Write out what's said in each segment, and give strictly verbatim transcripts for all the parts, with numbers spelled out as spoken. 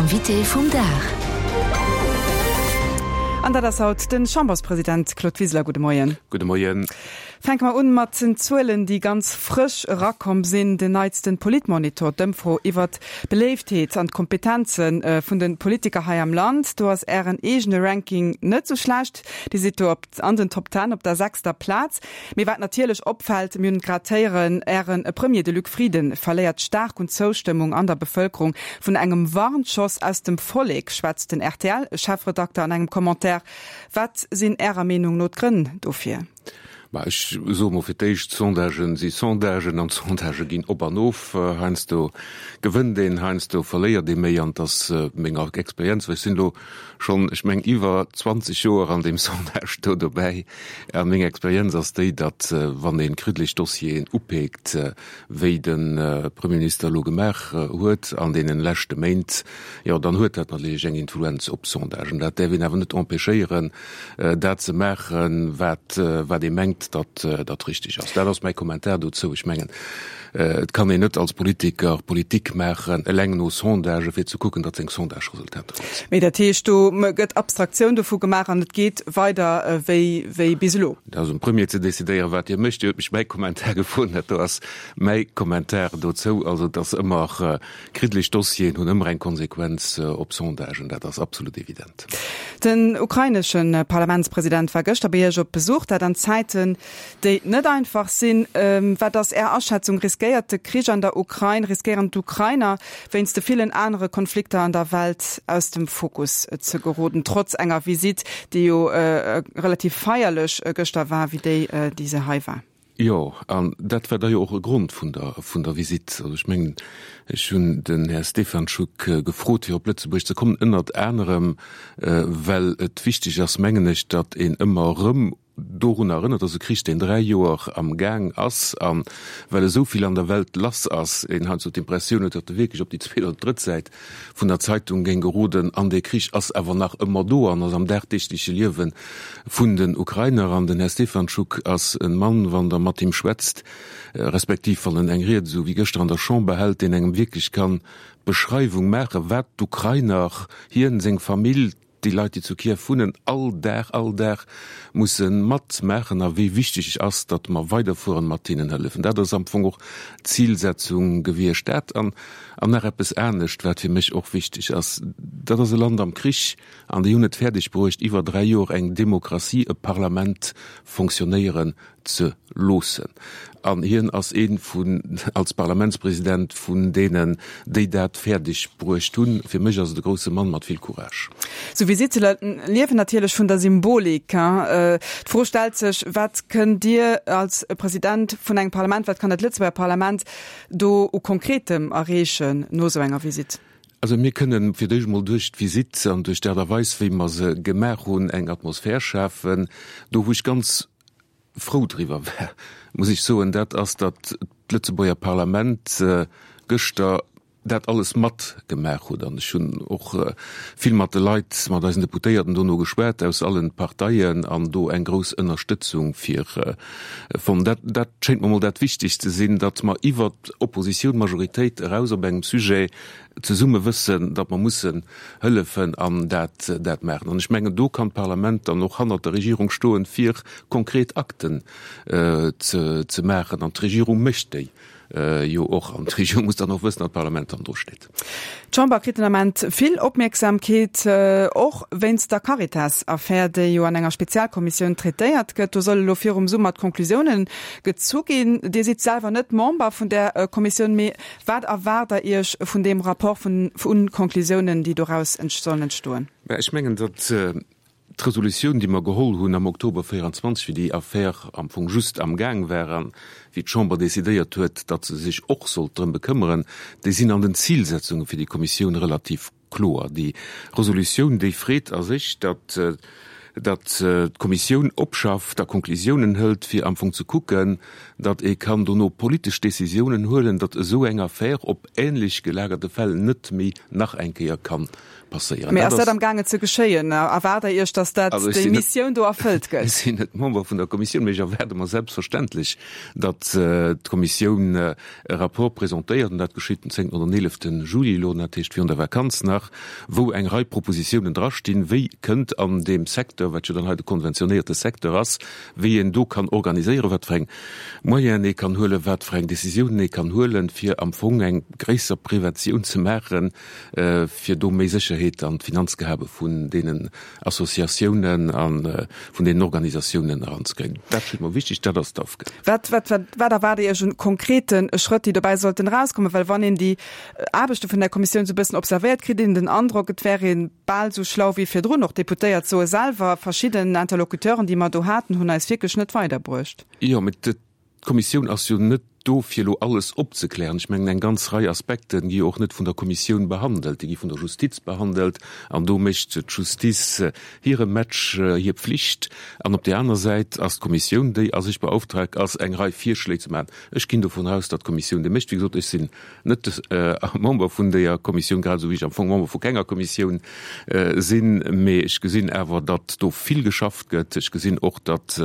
Invité vum Dag. An dat ass haut den Chamberspresident Claude Wiseler. Gudde Moien. Gudde Moien. Fänke mer un mat den Zuelen, déi ganz frësch erakomm sinn. Den neitsten Politmonitor, d'Ëmfro iwwert d'Beléiftheet an d'Kompetenze vun de Politiker hei am Land. Do ass Ären eegene Ranking net sou schlecht. Dir sidd do op an den Top Ten op der sechster Plaz. Mee wat natierlech opfält, mir hunn et grad héieren, Äre Premier, de Luc Frieden, verléiert staark un Zoustëmmung an der Bevëlkerung. Vun engem Warnschoss aus dem Vollek schwätzt den R T L-Chefredakter an engem Commentaire. Wat sinn Ärer Meenung no d'Grënn dofir? Bah, ech soe mol fir d'éischt, Sondagen si Sondagen an d'Sondagë ginn op an of. Heiansdo gewënnt een, heiansdo verléiert ee méi an et ass meng Experienz, well ech sinn elo schonn, ech meng, iwwer zwanzeg Joer an deem Sondage do dobäi a meng Experienz ass déi, datt wann ee kriddeleg Dossieren upeekt, wéi de Premierminister elo gemaach huet an deenen leschte Méint, jo dann huet dat natierlech eng Influenz op d'Sondagen. Dat däerf een awer net empêchéieren, dat ze maachen, wat wat ee mengt, datt dat richteg ass. Dat ass mäi Kommentar dozou. Ech mengen, et kann een net als Politiker Politik maachen eleng no Sondagë fir ze kucken, datt seng Sondage-Resultater gutt sinn. Mee dat heescht, do gëtt Abstraktioun dovu gemaach an et geet weider wéi wéi bis elo? Dat ass um Premier ze decidéieren, wat hie mécht. Dir hutt mech mäi Kommentar gefrot, dat do ass mäi Kommentar dozou. Also et ass ëmmer, kriddeleg Dossieren hunn ëmmer eng Konsequenz op Sondagen, dat ass absolut evident. Den ukrainesche Parlamentspresident war gëschter bei Iech op Besuch, dat an Zäiten, déi net einfach sinn. Wat ass Är Aschätzung, riskéiert de Krich an der Ukrain, riskéieren d'Ukrainer wéinst de villen anere Konflikter an der Welt aus dem Fokus ze geroden, trotz enger Visitt, déi jo relativ feierlech gëschter war, wéi déi, déi se hei war? Jo, an dat war da jo och e Grond vun der, vun der Visitt. Also ech mengen, ech hunn den Här Stefanchuk gefrot, fir op Lëtzebuerg ze kommen, ënnert anerem, well et wichteg ass, mengen ech, datt een ëmmer erëm dorun erënnert, datt e Krich, deen dräi Joer am Gaang ass, a well esou vill an der Welt lass ass, een heiansdo d'Impressioun huet, datt e wierklech op déi zweet oder drëtt Säit vun der Zeitung géing geroden. An dee Krich ass awer nach ëmmer do an ass am dagdeegleche Liewe vun den Ukrainer. An den Här Stefanchuk ass e Mann, wann Der mat him schwätzt, respektiv wann en eng Ried esou wéi gëschter an der Chamber hält, deen engem wierklech kann d'Beschreiwung maachen, wat d'Ukrainer, hien, seng Famill, déi Leit, déi zu Kiew wunnen, all Dag, all Dag musse matmaachen a wéi wichteg et ass, datt mer weiderfueren mat hinnen hëllefen. Dat ass am Fong och d'Zilsetzung gewiescht. Dat an an nach eppes anescht, wat fir mech och wichteg ass, dat ass e Land am Krich an déi hunn et fäerdeg bruecht, iwwer dräi Joer eng Demokratie, e Parlament fonctionnéieren ze loossen. An hien ass ee vun, als Parlamentspresident, vun deenen, déi dat fäerdeg bruecht hunn. Fir mech ass et e grousse Mann mat vill Courage. Sou Visitte liewen natierlech vun der Symbolik. D'Fro stellt sech, Wat kënnt Dir als President vun engem Parlament, wat kann dat Lëtzebuerger Parlament do u Konkretem erreechen no esou enger Visitt? Also mir kënnen fir d'éischt emol duerch d'Visitt an duerch d'Aart a Weis, wéi mer se gemaach hunn, eng Atmosphär schafen, do wou ech ganz frou driwwer war, muss ech soen, dat ass, datt d'Lëtzebuerger Parlament gëschter dat alles matgemaach huet. An ech hunn och vill mat de Leit, mat eisen Deputéierten dono geschwat, aus allen Parteien, an do eng grouss Ënnerstëtzung fir fonnt. Dat, dat schéngt mer emol dat Wichtigst ze sinn, datt mer iwwert Oppositioun, Majoritéit eraus op engem Sujet zesumme wëssen, datt mer mussen hëllefen an dat dat maachen. An ech mengen, do kann d'Parlament dann och hannert der Regierung stoen, fir konkret Akten ze ze maachen. An d'Regierung mécht déi jo och. An d'Regierung muss dann och wëssen, datt d'Parlament dann do steet. D'Chamber kritt den Ament vill Opmierksamkeet, och wéinst der Caritas-Affär, déi jo an enger Spezialkommissioun traitéiert gëtt. Do solle lo virum Summer d'Conclusiounen gezu ginn. Dir sidd selwer net Member vun där Kommissioun, mee wat erwaart Der Iech vun deem Rapport, vun vun Conclusiounen, déi doraus sollen entstoen? Mä ech mengen, datt d'Resolutioun, déi mer geholl hunn am Oktober véierundzwanzeg, wéi déi Affär am Fong just am Gaang war a wéi d'Chamber decidéiert huet, datt se sech och sollt drëm bekëmmeren, déi sinn an den Zilsetzunge fir déi Kommissioun relativ kloer. Déi Resolutioun, déi freet a sech, datt datt d'Kommissioun opschafft a Konklusiounen hëlt, fir am Fong ze kucken, datt ee kann dono politesch Décisiounen huelen, datt esou eng Affär op ähnlech gelagerte Fäll net méi nach eng Kéier kann passéieren. Mee ass dat amgaangen ze geschéien? Erwaart Der Iech, datt dat déi Missioun do erfëllt gëtt? Ech sinn net Member vun der Kommissioun, mee ech erwaarde mer selbstverständlech, datt d'Kommissioun e Rapport presentéiert, an dat geschitt den zéngten oder den eeleften Juli elo, dat heescht virun der Vakanz nach, wou eng Rei Propositiounen drastinn, wéi kënnt an deem Secteur, wat jo dann hei de konventionéierte Secteur ass, wéi een do kann organiséieren, wat fir eng Moyenen ee kann huelen, wat fir eng Décisiounen ee kann huelen, fir am Fong eng gréisser Preventioun ze maachen, fir do méi Sécherheet an d'Finanzgehabe vun deenen Associatiounen a vun deenen Organisatiounen eranzekréien. Dat schéngt mer wichteg, dat ass d'Aufgab. Wat, wat, wat, wat erwaart Dir Iech un konkrete Schrëtt, déi dobäi sollten erauskommen? Well wann een déi Aarbechte vun der Kommissioun esou e bëssen observéiert, kritt een den Androck, et wär ee bal esou schlau wéi virdrun. Och d'Deputéiert soe selwer, verschidden Interlocuteuren, déi mer do haten, hunn eis wierklech net weiderbruecht. Jo, mee d'Kommissioun ass jo net do, fir elo alles opzeklären. Ech mengen, eng ganz Rei Aspekte gi jo och net vun der Kommissioun behandelt, déi gi vun der Justiz behandelt. An do mécht d'Justiz hire Match, hir Pflicht. An op där aner Säit ass d'Kommissioun, déi a sech beauftragt ass, eng Rei Virschléi ze maachen. Ech ginn dovun aus, datt d'Kommissioun déi mécht. Wéi gesot, ech sinn net Member vun deeër Kommissioun, grad esou wéi ech am Fong Member vu kenger Kommissioun sinn. Mee ech gesinn awer, datt do vill geschafft gëtt. Ech gesinn och, datt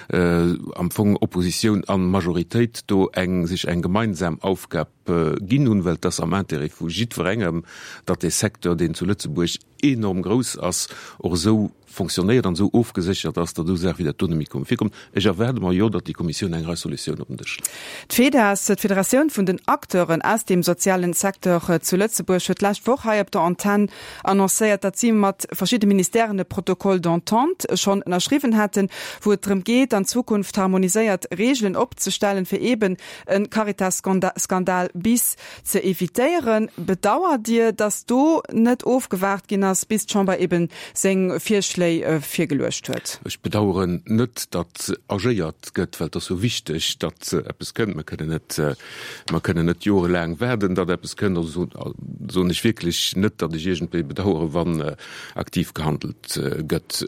am Fong Oppositioun a Majoritéit do eng sech eng gemeinsam Aufgab ginn hunn, well et ass am Intérêt vu jiddwerengem, datt dee Secteur, deen zu Lëtzebuerg enorm grouss ass, och esou fonctionnéiert an esou ofgeséchert ass, datt esou Saache wéi dat do net méi kommen virkommen. Ech erwaarde mer jo, datt déi Kommissioun eng Rei Solutiounen op den Dësch leet. D'FEDAS, d'Federatioun vun den Acteuren aus dem sozialen Secteur zu Lëtzebuerg, huet d'lescht Woch hei op der Antenn annoncéiert, datt si mat verschidde Ministèren e Protocole d'entente schonn ënnerschriwwen hätten, wou et drëm geet, an Zukunft harmoniséiert Reegelen opzestellen, fir eeben e Caritas-Skandal bis ze evitéieren. Bedauert Dir, datt do net ofgewaart ginn ass, bis d'Chamber eben seng Virschléi virgeluecht huet? Ech bedaueren net, datt agéiert gëtt, well et ass jo wichteg, datt eppes kënnt. Mer kënnen net, mer kënnen net jorelaang waarden, datt eppes kënnt. Also soen ech wierklech net, datt ech iergendwéi bedauere wann aktiv gehandelt gëtt.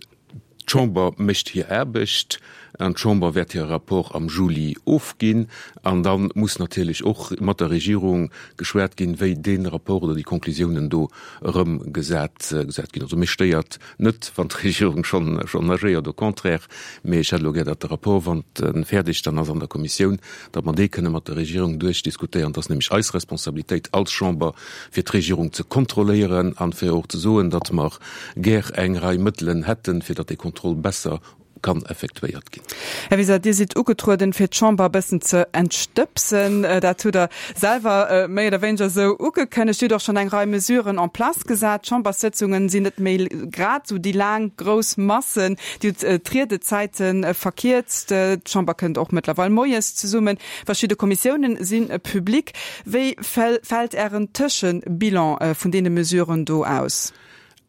D'Chamber mécht hir Aarbecht an d'Chamber wäert hire Rapport am Juli ofginn. An da muss natierlech och mat der Regierung geschwat ginn, wéi dee Rapport oder déi Konklusiounen do erëmgesat ginn. Also mech stéiert net, wann d'Regierung schonn agéiert, au contraire. Mee ech hätt elo gär, datt de Rapport, wann e fäerdeg dann ass an der Kommissioun, datt mer dee kënne mat der Regierung duerchdiskutéieren. Et ass nämlech eis Responsabilitéit als Chamber, fir d'Regierung ze kontrolléieren an fir och ze soen, datt mer gär eng Rei Mëttelen hätten, fir datt dee Contrôle besser kann effektuéiert ginn. Här Wiseler, Dir sidd ugetrueden, fir d'Chamber e bëssen ze entstëbsen. Dat hutt Der selwer méi oder wéineger esou ugekënnegt. Dir hutt och schonn eng Rei Mesuren en place gesat. D'Chamberssëtzungen sinn net méi grad esou déi laang grouss Massen. Dir hutt d'Riedezäite verkierzt. D'Chamber kënnt och mëttlerweil moies zesummen. Verschidde Kommissiounen si public. Wéi fält Ären Tëschebilan vun deene Mesuren do aus?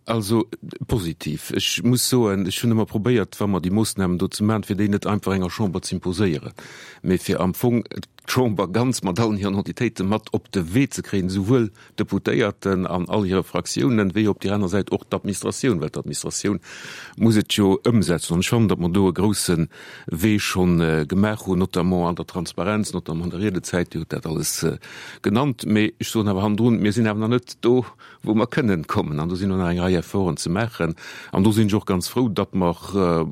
Also positiv. Ech muss soen, ech hunn ëmmer probéiert, wa mer déi Moossnamen do ze maachen, fir déi net einfach enger Chamber z'imposéieren, mee fir am Fong d'Chamber ganz mat allen hiren Entitéite mat op de Wee ze kréien, esouwuel d'Deputéierten an all hire Fraktiounen, wéi op där aner Säit och d'Administratioun, well d'Administratioun muss et jo ëmsetzen. An ech fannen, datt mer do e grousse Wee schonn gemaach hunn, notamment an der Transparenz, notamment an der Riedezäit, Dir hutt dat alles genannt. Mee ech soen awer hannendrun, mir sinn awer nach net do, wou mer kënnen kommen. An do sinn och nach eng Rei Efforten ze maachen. An do sinn ech och ganz frou, datt mer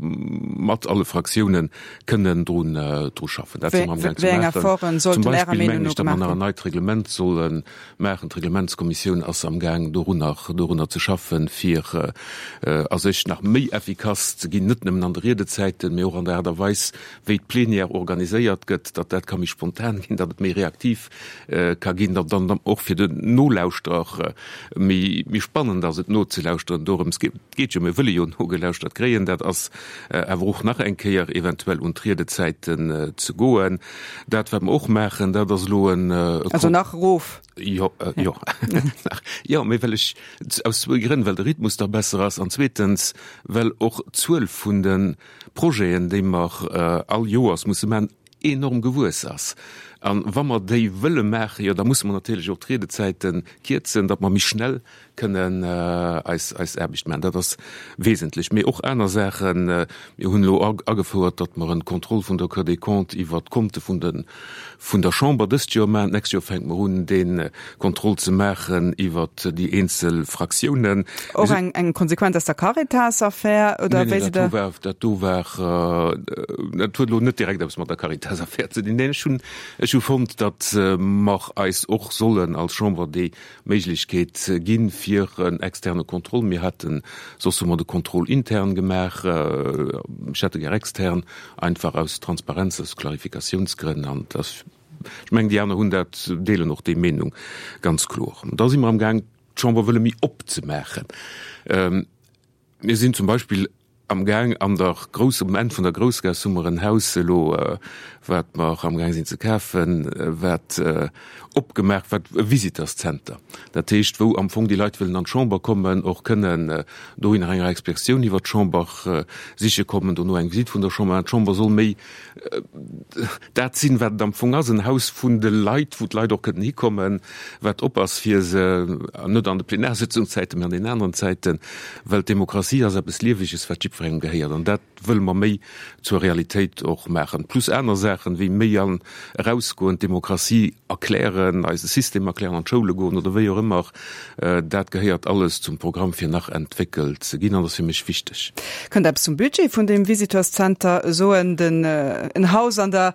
mat alle Fraktiounen kënnen drun, dru schaffen. Dat si mer amgaang ze Wéi eng maachen. Efforten Zum sollten Ärer Beispill Meenung mengen no ech, datt mer gemaach nach en ginn? neit Reglement solle maachen. D'Reglementskommissioun ass amgaang, dorunner, dorunner ze schaffen, fir a sech nach méi effikass ze ginn, net nëmmen an de Riedezäiten, mee och an der Aart a Weis, wéi d'Plenière organiséiert gëtt, datt dat ka méi spontan ginn, datt et méi reaktiv ka ginn, datt dann och fir den Nolauschterer méi méi spannend ass et nozelauschteren. Dorëms geet jo, mir wëlle jo nogelauschtert kréien. Dat ass awer och nach eng Kéier eventuell un d'Riedezäiten ze goen. Dat wat mer och maachen, dat ass elo en Also nach erof? Jo, jo, nach, jo, mee well ech aus zwou Grënn, well de Rhythmus da besser ass an zweetens well och d'Zuel vun de Projeten, déi mer all Joers musse maachen, enorm gewuess ass. An wa mer déi wëlle maachen, jo da musse mer natierlech och d'Riedezäite kierzen, datt mer méi schnell kënnen eis eis Aarbecht maachen. Dat ass wesentlech. Mee och aner Saachen. Mir hunn elo agefouert, datt mer en Contrôle vun der Cour des Comptes iwwert d'Konte vun de vun der Chamber dëst Joer maachen. D'nächst Joer fänke mer un, dee Contrôle ze maachen iwwert déi eenzel Fraktiounen. Och eng eng Konsequenz aus der Caritas-Affär, oder wéi sidd Der? Nee, nee, dat do war, dat huet elo net direkt eppes mat der Caritas-Affär ze dinn. Neen, ech hunn, ech hu fonnt, datt mer eis och sollen als Chamber déi Méiglechkeet ginn, fir en externe Contrôle. Mir haten, soss hu mer de Contrôle intern gemaach, ech hätt e gär extern, einfach aus Transparenz, aus Klarifikatiounsgrënn. An dass, ech mengen, déi aner hunn dat, deelen och déi Meenung ganz kloer. Da si mer amgaang, d'Chamber wëlle méi opzemaachen. Mir sinn zum Beispill amgaang an der Grouss, um Enn vun der Groussgaass hu mer en Haus elo, wat mer amgaang sinn ze kafen, wat opgemaach, wat e Visiteurszenter, dat heescht, wou am Fong déi Leit wëllen an d'Chamber kommen, och kënnen dohinner enger Expertioun iwwert d'Chamber siche kommen, dono eng Visitt vun der Chamber. D'Chamber soll méi dat sinn, wat et am Fong ass, en Haus vun de Leit, wou d'Leit och kënnen hikommen, wat op ass fir se, net an de Plenarsitzungszäiten, mä an den aneren Zäiten, well d'Demokratie ass eppes Lieweges, wat jiddwerengem gehéiert. An dat wëlle mer méi zur Realitéit och maachen. Plus aner Saachen, wéi méi an erausgoen, d'Demokratie erklären, eise System erklären, an d'Schoule goen oder wéi och ëmmer. Dat gehéiert alles zum Programm, fir nach entwéckelt ze ginn, an ass fir mech wichteg. Kënnt Der eppes zum Budget vun deem Visiteurscenter soen? Den en Haus an der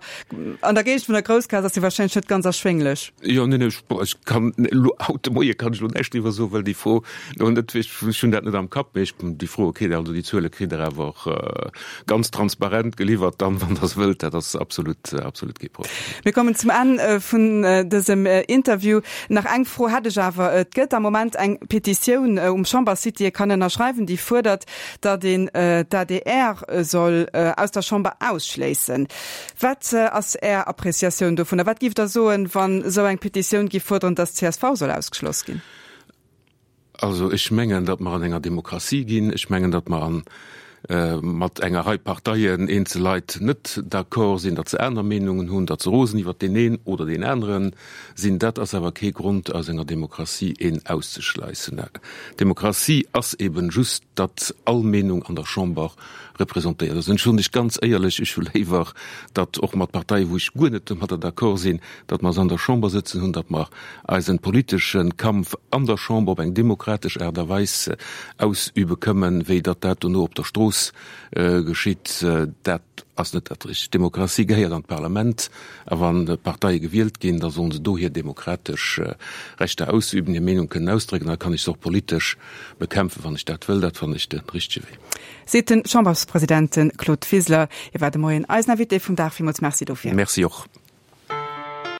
an der Géigend vun der Groussgaass ass jo wahrscheinlech net ganz erschwénglech. Jo, neen, ech, ech kann elo haut de Moie kann ech elo näischt driwwer soen, well déi Fro elo net, ech hunn dat net am Kapp, mee ech, déi Froe kritt Der, also déi Zuele kritt Der awer och ganz transparent geliwwert dann, wann Der se wëllt. Dat ass absolut, absolut kee Problem. Mir kommen zum Enn vun dësem Interview. Nach eng Fro hätt ech awer. Et gëtt am Moment eng Petitioun um Chambersite, déi ee kann ënnerschreiwen, déi fuerdert, datt een d'ADR soll aus der Chamber ausschléissen. Wat ass Är Appreciatioun dovunner? Wat giff Der soen, wann esou eng Petitioun giff fuerderen, datt d'CSV soll ausgeschloss ginn? Also ech mengen, datt mer an enger Demokratie ginn. Ech mengen, datt mer an mat enger Rei Parteien, eenzel Leit net d'accord sinn, datt se aner Meenungen hunn, datt se rosen iwwert deen een oder deen anere sinn. Dat ass awer kee Grond, aus enger Demokratie een auszeschleissen. Demokratie ass eben just, datt all Meenung an der Chamber representéiert ass. An ech soen lech ganz éierlech, ech hu léiwer, datt och mat Parteien, wou ech guer net domadder d'accord sinn, datt mer se an der Chamber sëtzen hunn, datt mer eisen politesche Kampf an der Chamber op eng demokratesch Aart a Weis ausübe këmmen, wéi datt dat dono op der Strooss geschitt. Dat ass net dat Richtegt. D'Demokratie gehéiert an d'Parlament, a wann Parteie gewielt ginn, da sollen se do hir demokratesch Rechter ausüben, hir Meenung kënnen ausdrécken, da kann ech se och politesch bekämpfen, wann ech dat wëll. Dat fannen ech de richtege Wee. Seet de Chamberspresident Claude Wiseler. Hie war de Moien eisen Invité vum Dag. Villmools Merci dofir. Merci och.